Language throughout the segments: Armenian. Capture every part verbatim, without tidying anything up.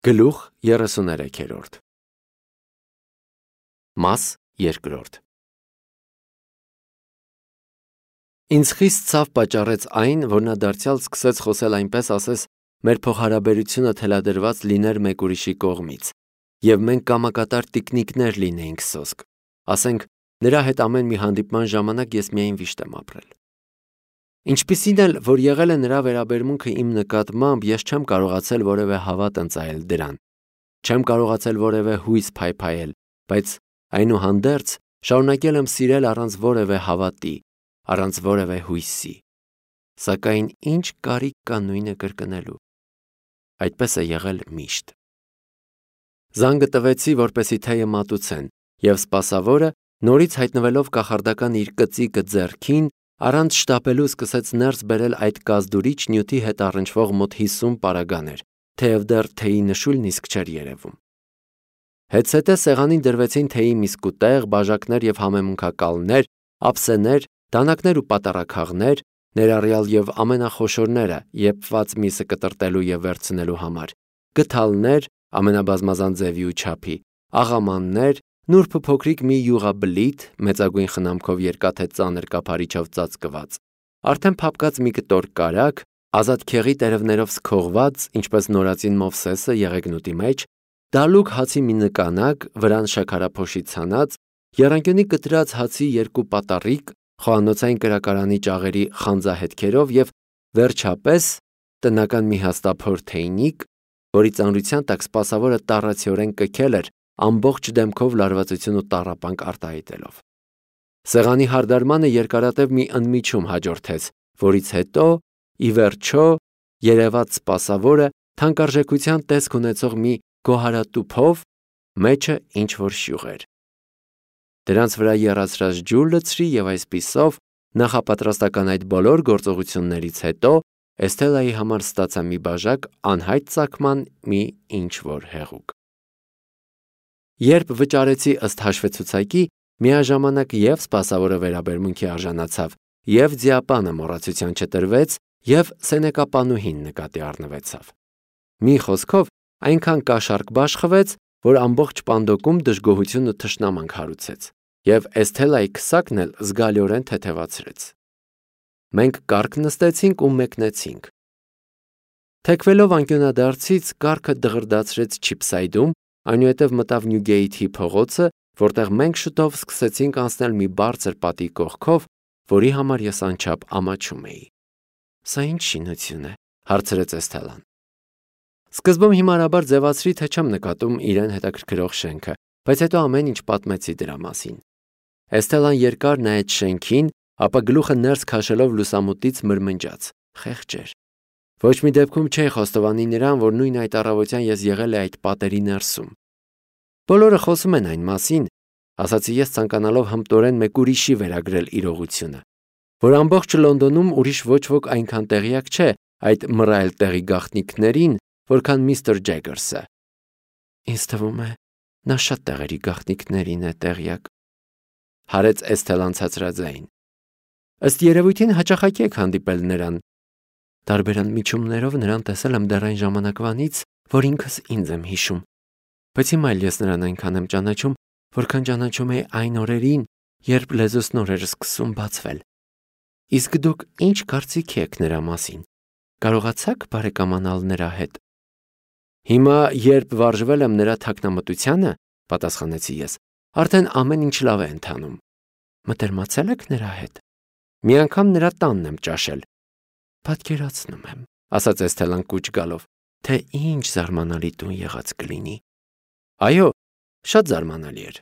Գլուխ երեսուներեքերորդ Մաս երկրորդ Ինձ խիստ ցավ պատճառեց այն, որ նա դարձյալ սկսեց խոսել այնպես, ասես մեր փոխհարաբերությունը թելադրված լիներ մեկ ուրիշի կողմից, և մենք կամակատար տիկնիկներ լինեինք սոսկ, ասենք նրա հետ ամեն մի հանդիպման ժամանակ ես միայն վիշտ եմ ապրել։ Ինչպիսին էլ, որ եղել է նրա վերաբերմունքը իմ նկատմամբ, ես չեմ կարողացել որևէ հավատ ընծայել դրան, չեմ կարողացել որևէ հույս փայփայել, բայց այնուհանդերձ շարունակել եմ սիրել առանց որևէ հավատի, առանց որևէ հույսի։ Սակայն ինչ կարիք կա նույնը կրկնելու։ Այդպես է եղել միշտ։ Զանգը տվեցի, որպեսզի թեյը մատուցեն, և սպասավորը, նորից հայտնվելով կախարդական իր կծիկը ձեռքին, առանց շտապելու սկսեց ներս բերել այդ կազդուրիչ նյութի հետ առնչվող մոտ հիսուն պարագաներ, թեև դեռ թեյի նշույլն իսկ չէր երևում։ Հետզհետե սեղանին դրվեցին թեյի մի սկուտեղ, բաժակներ և համեմունքակալներ, ափսեներ, դանակներ ու պատառաքաղներ, ներառյալ և ամենախոշորները եփված միսը կտրտելու և վերցնելու համար, գդալներ, ամենաբազմազան ձևի ու չափի, աղամաններ, նուրբ ու փոքրիկ մի յուղաբլիթ, մեծագույն խնամքով երկաթե ծանր կափարիչով ծածկված, արդեն փափկած մի կտոր կարագ, ազատ քեղի տերևներով սքողված, ինչպես նորածին Մովսեսը եղեգնուտի մեջ, դալուկ հացի մի նկանակ, վրան շաքարափոշի ցանած, եռանկյունի կտրած հացի երկու պատառիկ, խոհանոցային կրակարանի ճաղերի խանձահետքերով և, վերջապես, տնական մի հաստափոր թեյնիկ, որի ծանրության տակ սպասավորը տառացիորեն կքել էր, ամբողջ դեմքով լարվածություն ու տառապանք արտահայտելով։ Սեղանի հարդարմանը երկարատև մի ընդմիջում հաջորդեց, որից հետո, ի վերջո, երևաց սպասավորը թանկարժեքության տեսք ունեցող մի գոհարատուփով, մեջը ինչ-որ շյուղ էր։ Դրանց վրա եռացրած ջուր լցրի և այսպիսով, նախապատրաստական այդ բոլոր գործողություններից հետո, Էսթելայի համար ստացա մի բաժակ անհայտ ծագման մի ինչ-որ հեղուկ։ Երբ վճարեցի ըստ հաշվեցուցակի, միաժամանակ և սպասավորը վերաբերմունքի արժանացավ, և ձիապանը մոռացության չտրվեց, և սենեկապանուհին նկատի առնվեցավ։ Մի խոսքով, այնքան կաշառք բաշխվեց, որ ամբողջ պանդոկում դժգոհություն ու թշնամանք հարուցեց, և Էսթելայի քսակն էլ զգալիորեն թեթևացրեց։ Մենք կառք նստեցինք ու մեկնեցինք։ Թեքվելով անկյունադարձից, կառքը դղրդացրեց Չիփսայդում, այնուհետև մտավ Նյուգեյթի փողոցը, որտեղ մենք շուտով սկսեցինք անցնել մի բարձր պատի կողքով, որի համար ես անչափ ամաչում էի։ Սա ինչ շինություն է, հարցրեց Էսթելան։ Սկզբում հիմարաբար ձևացրի, թե չեմ նկատում իրեն հետաքրքրող շենքը, բայց հետո ամեն ինչ պատմեցի դրա մասին։ Էսթելան երկար նայեց շենքին, ապա գլուխը ներս քաշելով լուսամուտից մրմնջաց. խեղճեր։ Ոչ մի դեպքում չէի խոստովանի նրան, որ նույն այդ առավոտյան ես եղել էի այդ պատերի ներսում։ Բոլորը խոսում են այն մասին, ասացի ես ցանկանալով հմտորեն մեկ ուրիշի վերագրել իրողությունը, որ ամբողջ Լոնդոնում ուրիշ ոչ ոք այնքան տեղյակ չէ այդ մռայլ տեղի գաղտնիքներին, որքան միստր Ջեգերսը։ Ինձ թվում է, նա շատ տեղերի գաղտնիքներին է տեղյակ, հարեց Էսթելան ցածրաձայն։ Ըստ երևույթին հաճախակի եք հանդիպել նրան։ Տարբեր ընդմիջումներով նրան տեսել եմ դեռ այն ժամանակվանից, որ ինքս ինձ եմ հիշում, բայց հիմա էլ ես նրան այնքան եմ ճանաչում, որքան ճանաչում էի այն օրերին, երբ լեզուս նոր էր սկսում բացվել։ Իսկ դուք ինչ կարծիքի եք նրա մասին։ Կարողացաք բարեկամանալ նրա հետ։ Հիմա, երբ վարժվել եմ նրա թաքնամտությանը, պատասխանեցի ես, արդեն ամեն ինչ լավ է ընթանում։ Մտերմացել եք նրա հետ։ Մի անգամ նրա տանն եմ ճաշել։ Պատկերացնում եմ, ասաց Էսթելան կուչ գալով, թե ինչ զարմանալի տուն եղած կլինի։ Այո, շատ զարմանալի էր։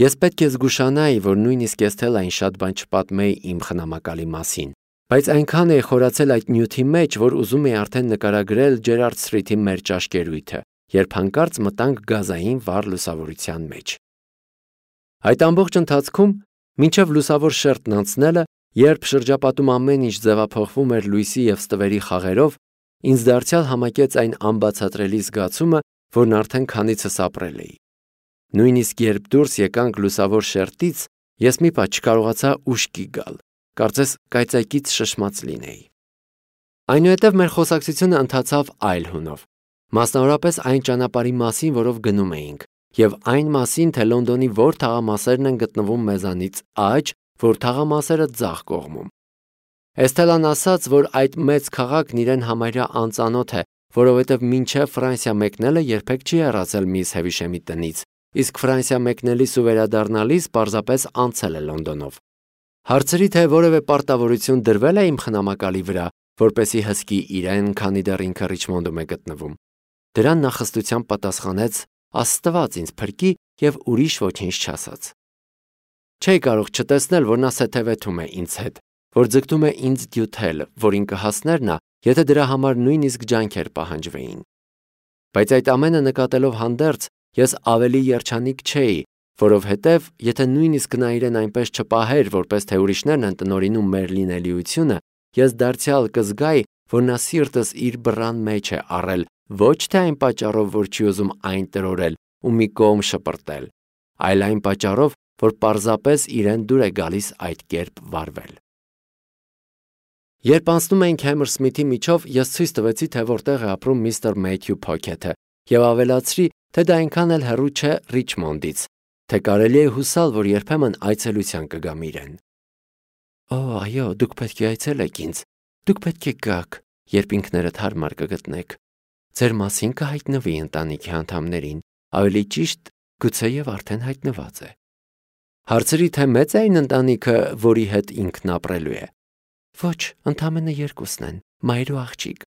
Ես պետք է զգուշանայի, որ նույնիսկ Էսթելային շատ բան չպատմեի իմ խնամակալի մասին, բայց այնքան էի խորացել այդ նյութի մեջ, որ ուզում էի արդեն նկարագրել Ջերարդ Սթրիթի մեր ճաշկերույթը, երբ հանկարծ մտանք գազային վառ լուսավորության մեջ։ Այդ ամբողջ ընթացքում, մինչև լուսավոր շերտն անցնելը, երբ շրջապատում ամեն ինչ ձևափոխվում էր լույսի և ստվերի խաղերով, ինձ դարձյալ համակեց այն անբացատրելի զգացումը, որն արդեն քանիցս ապրել էի։ Նույնիսկ երբ դուրս եկանք լուսավոր շերտից, ես մի պահ չկարողացա ուշքի գալ, կարծես կայծակից շշմած լինեի։ Այնուհետև մեր խոսակցությունը ընթացավ այլ հունով։ Մասնավորապես այն ճանապարհի մասին, որով գնում էինք, եւ այն մասին, թե Լոնդոնի որ թաղամասերն են գտնվում մեզանից աջ, որ թաղամասերը ձախ կողմում։ Էստելան ասաց, որ այդ մեծ քաղաքն իրեն համարյա անծանոթ է, որովհետև մինչև Ֆրանսիա մեկնելը երբեք չի հեռացել միս Հևիշեմի տնից, իսկ Ֆրանսիա մեկնելիս ու վերադառնալիս պարզապես անցել է Լոնդոնով։ Հարցրի, թե որևէ պարտավորություն դրվել է իմ խնամակալի վրա, որպեսի հսկի իրեն, քանի դեռ ինքը Ռիչմոնդում է գտնվում։ Դրան նա խստությամբ պատասխանեց. Աստված ինձ փրկի եւ ուրիշ ոչինչ չասաց։ Չէի կարող չտեսնել, որ նա սեթևեթում է ինձ հետ, որ ձգտում է ինձ դյութել, որին կհասներ նա, եթե դրա համար նույնիսկ ջանքեր պահանջվեին։ Բայց այդ ամենը նկատելով հանդերձ, ես ավելի երջանիկ չէի, որովհետև եթե նույնիսկ նա իրեն այնպես չպահեր, որպես թե ուրիշներն են տնօրինում մեր լինելիությունը, ես դարձյալ կզգայի, որ նա սիրտս իր բռան մեջ է առել, ոչ թե այն պատճառով, որ չի ուզում այն տրորել ու մի կողմ շպրտել, այլ այն պատճառով, որ պարզապես իրեն դուր է գալիս այդ կերպ վարվել։ Երբ անցնում էինք Հեմերսմիթի միջով, ես ցույց տվեցի, թե որտեղ է ապրում միստր Մեյթյու Փոքեթը, եւ ավելացրի, թե դա այնքան էլ հեռու չէ Ռիչմոնդից, թե կարելի է հուսալ, որ երբեմն այցելության կգամ իրեն։ Օ, այո, դուք պետք է այցելեք ինձ, դուք պետք է գաք, երբ ինքներդ հարմար կգտնեք։ Ձեր մասին կհայտնվի ընտանիքի անդամներին, ավելի ճիշտ, գուցեև արդեն հայտնված է։ Հարցրի, թե մեծ է այն ընտանիքը, որի հետ ինքն ապրելու է։ Ոչ, ընդամենը երկուսն են, մայր ու աղջիկ։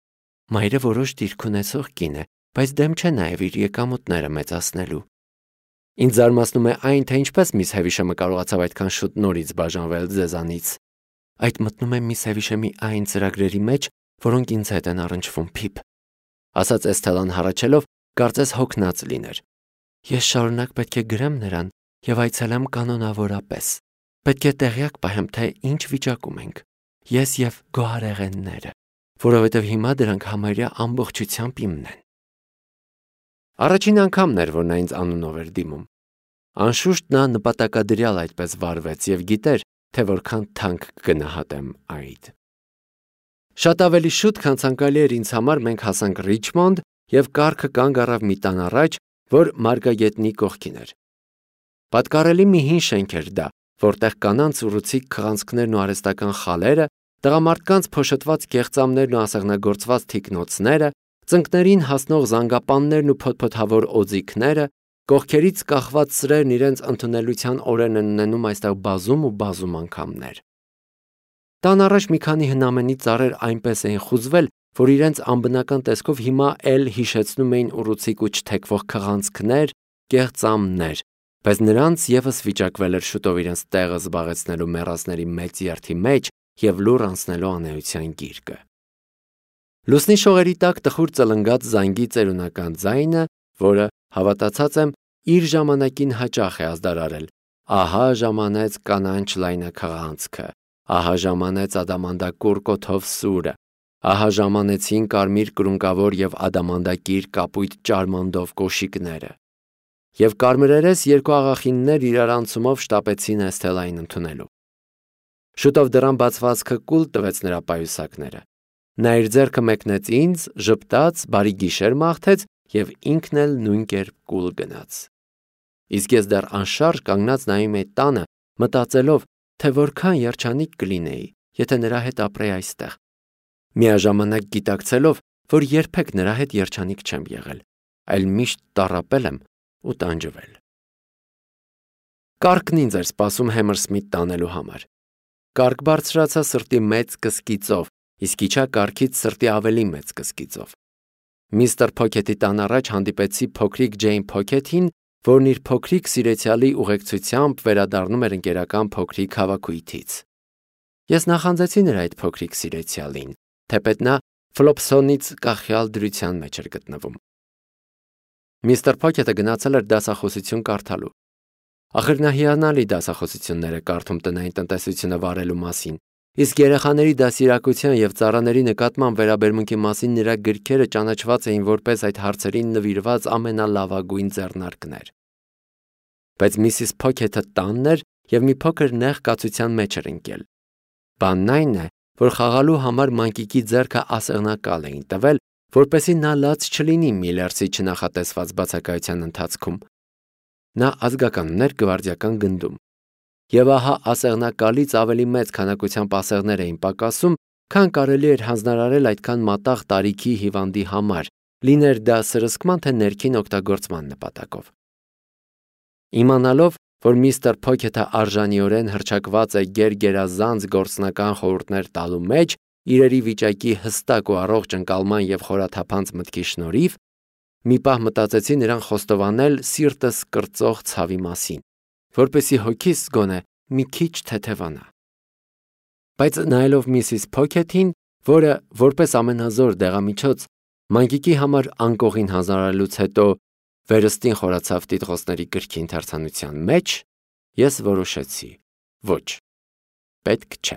Մայրը որոշ դիրք ունեցող կին է, բայց դեմ չէ նաև իր եկամուտները մեծացնելու։ Ինձ զարմացնում է այն, թե ինչպես միս Հևիշեմը կարողացավ այդքան շուտ նորից բաժանվել ձեզանից։ Այդ մտնում է միս Հևիշեմի այն ծրագրերի մեջ, որոնք ինձ հետ են առնչվում, Փիփ, ասաց Էսթելան հառաչելով, կարծես հոգնած լիներ։ Ես շարունակ պետք է գրեմ նրան եւ այցելեմ կանոնավորապես։ Պետք է տեղյակ պահեմ, թե ինչ վիճակում ենք։ Ես եւ գոհարեղենները, որովհետև հիմա դրանք համարյա ամբողջությամբ իմն են։ Առաջին անգամն էր, որ նա ինձ անունով էր դիմում։ Անշուշտ նա նպատակադրյալ այդպես վարվեց եւ գիտեր, թե որքան թանկ կգնահատեմ այդ։ Շատ ավելի շուտ, քան ցանկալի էր ինձ համար, մենք հասանք Ռիչմոնդ եւ կառքը կանգ առավ մի տան առաջ, որ Մարգագետնի կողքին էր։ Պատկառելի մի հին շենք էր դա, որտեղ կանանց ուռուցիկ քղանցքներն ու արհեստական խալերը, տղամարդկանց փոշոտված կեղծամներն ու ասեղնագործված թիկնոցները, ծնկներին հասնող զանգապաններն ու փոթփոթավոր օձիքները, կողքերից կախված սրերն իրենց ընդունելության օրերն են ունենում այստեղ բազում ու բազում անգամներ։ Տան առաջ մի քանի հնամենի ծառեր այնպես էին խուզվել, որ իրենց անբնական տեսքով հիմա էլ հիշեցնում էին ուռուցիկ ու չթեքվող քղանցքներ, կեղծամներ, բայց նրանց եւս վիճակվել էր շուտով իրենց տեղը զբաղեցնելու մեռածների մեծ երթի մեջ եւ լուռ անցնելու անեության գիրկը։ Լուսնի շողերի տակ տխուր ծլնգած զանգի ծերունական ձայնը, որը, հավատացած եմ, իր ժամանակին հաճախ է ազդարարել։ Ահա ժամանեց կանանչ լայնաքղանցքը, ահա ժամանեց ադամանդակուր կոթով սուրը, ահա ժամանեցին կարմիր կրունկավոր եւ ադամանդակիր կապույտ ճարմանդով կոշիկները։ Եվ կարմրերես երկու աղախիններ իրարանցումով շտապեցին Էսթելային ընդունելու։ Շուտով դռան բացվածքը կուլ տվեց նրա պայուսակները։ Նա իր ձեռքը մեկնեց ինձ, ժպտաց, բարի գիշեր մաղթեց եւ ինքն էլ նույն կերպ կուլ գնաց։ Իսկ ես դեռ անշարժ կանգնած նայում էի տանը, մտածելով, թե որքան երջանիկ կլինեի, եթե նրա հետ ապրեի այստեղ։ Միաժամանակ գիտակցելով, որ երբեք նրա հետ երջանիկ չեմ եղել, այլ միշտ տառապել եմ ու տանջվել։ Կառքն ինձ էր սպասում Հեմերսմիթ տանելու համար։ Կառք բարձրացա սրտի մեծ կսկիծով, իսկ իջա կառքից սրտի ավելի մեծ կսկիծով։ Միստր Փոքեթի տան առաջ հանդիպեցի փոքրիկ Ջեյն Փոքեթին, որն իր փոքրիկ սիրեցյալի ուղեկցությամբ վերադառնում էր ընկերական փոքրիկ հավաքույթից։ Ես նախանձեցի նրա այդ փոքրիկ սիրեցյալին, թեպետ նա Ֆլոփսոնից կախյալ դրության մեջ էր գտնվում։ Միստր Փոքեթը գնացել էր դասախոսություն կարդալու։ Ախր նա հիանալի դասախոսություններ է կարդում տնային տնտեսությունը վարելու մասին, իսկ երեխաների դասիրակության եւ ծառաների նկատմամբ վերաբերմունքի մասին նրա գրքերը ճանաչված էին որպես այդ հարցերին նվիրված ամենալավագույն ձեռնարկներ։ Բայց Միսիս Փոքեթը տանն էր եւ մի փոքր նեղ կացության մեջ էր ընկել։ Բանն այն է, որ խաղալու համար մանկիկի ձեռքը ասեղնակալ էին տվել, որպեսզի նա լաց չլինի Միլերսի չնախատեսված բացակայության ընթացքում։ Նա ազգականներ գվարդիական գնդում։ Եվ ահա ասեղնակալից ավելի մեծ քանակությամբ ասեղներ էին պակասում, քան կարելի էր հանձնարարել այդքան մատաղ տարիքի հիվանդի համար, լիներ դա սրսկման թե ներքին օգտագործման նպատակով։ Իմանալով, որ միստր Փոքեթը արժանիորեն հռչակված է գերգերազանց գործնական խորհուրդներ տալու մեջ, իրերի վիճակի հստակ ու առողջ ընկալման և խորաթափանց մտքի շնորհիվ, մի պահ մտածեցի նրան խոստովանել սիրտս կրծող ցավի մասին, որպեսզի հոգիս գոնե մի քիչ թեթևանա։ Բայց նայելով միսիս Փոքեթին, որը որպես ամենազոր դեղամիջոց մանկիկի համար անկողին հանձնարարելուց հետո վերստին խորացավ տիտղոսների գրքի ընթերցանության մեջ, ես որոշեցի. ոչ, պետք չէ։